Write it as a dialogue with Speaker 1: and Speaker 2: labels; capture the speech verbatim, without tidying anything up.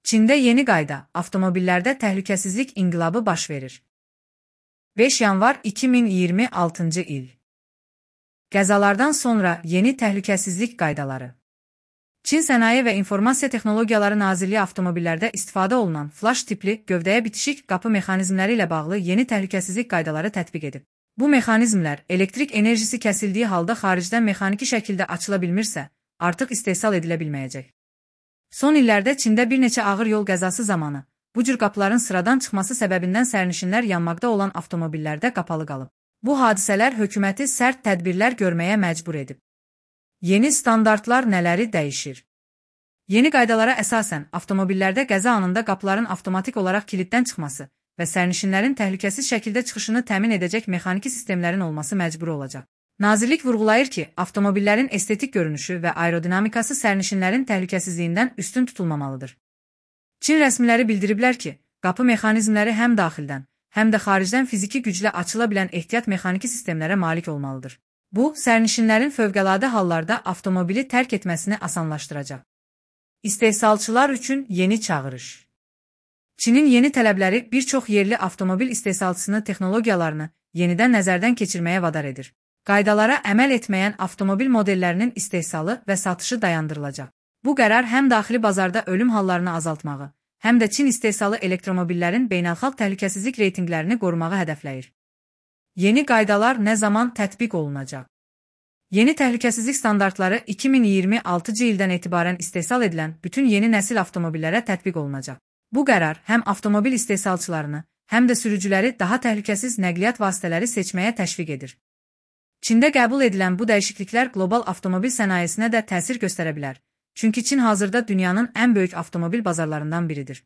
Speaker 1: Çində yeni qayda, avtomobillərdə təhlükəsizlik inqilabı baş verir. beş yanvar iki min iyirmi altıncı il. Qəzalardan sonra yeni təhlükəsizlik qaydaları. Çin Sənaye və İnformasiya Texnologiyaları Nazirliyi avtomobillərdə istifadə olunan flash tipli gövdəyə bitişik qapı mexanizmləri ilə bağlı yeni təhlükəsizlik qaydaları tətbiq edib. Bu mexanizmlər elektrik enerjisi kəsildiyi halda xaricdən mexaniki şəkildə açıla bilmirsə, artıq istehsal edilə bilməyəcək. Son illərdə Çində bir neçə ağır yol qəzası zamanı bu cür qapıların sıradan çıxması səbəbindən sərnişinlər yanmaqda olan avtomobillərdə qapalı qalıb. Bu hadisələr hökuməti sərt tədbirlər görməyə məcbur edib. Yeni standartlar nələri dəyişir? Yeni qaydalara əsasən avtomobillərdə qəza anında qapıların avtomatik olaraq kiliddən çıxması və sərnişinlərin təhlükəsiz şəkildə çıxışını təmin edəcək mexaniki sistemlərin olması məcbur olacaq. Nazirlik vurğulayır ki, avtomobillərin estetik görünüşü və aerodinamikası sərnişinlərin təhlükəsizliyindən üstün tutulmamalıdır. Çin rəsmiləri bildiriblər ki, qapı mexanizmləri həm daxildən, həm də xaricdən fiziki güclə açıla bilən ehtiyat mexaniki sistemlərə malik olmalıdır. Bu, sərnişinlərin fövqəladə hallarda avtomobili tərk etməsini asanlaşdıracaq. İstehsalçılar üçün yeni çağırış. Çinin yeni tələbləri bir çox yerli avtomobil istehsalçısını texnologiyalarını yenidən nəzərdən keçirməyə vadar edir. Qaydalara əməl etməyən avtomobil modellərinin istehsalı və satışı dayandırılacaq. Bu qərar həm daxili bazarda ölüm hallarını azaltmağı, həm də Çin istehsalı elektromobillərin beynəlxalq təhlükəsizlik reytinqlərini qorumağı hədəfləyir. Yeni qaydalar nə zaman tətbiq olunacaq? Yeni təhlükəsizlik standartları iki min iyirmi altıncı ildən etibarən istehsal edilən bütün yeni nəsil avtomobillərə tətbiq olunacaq. Bu qərar həm avtomobil istehsalçılarını, həm də sürücüləri daha təhlükəsiz nəqliyyat vasitələri seçməyə təşviq edir. Çində qəbul edilən bu dəyişikliklər qlobal avtomobil sənayesinə də təsir göstərə bilər. Çünki Çin hazırda dünyanın ən böyük avtomobil bazarlarından biridir.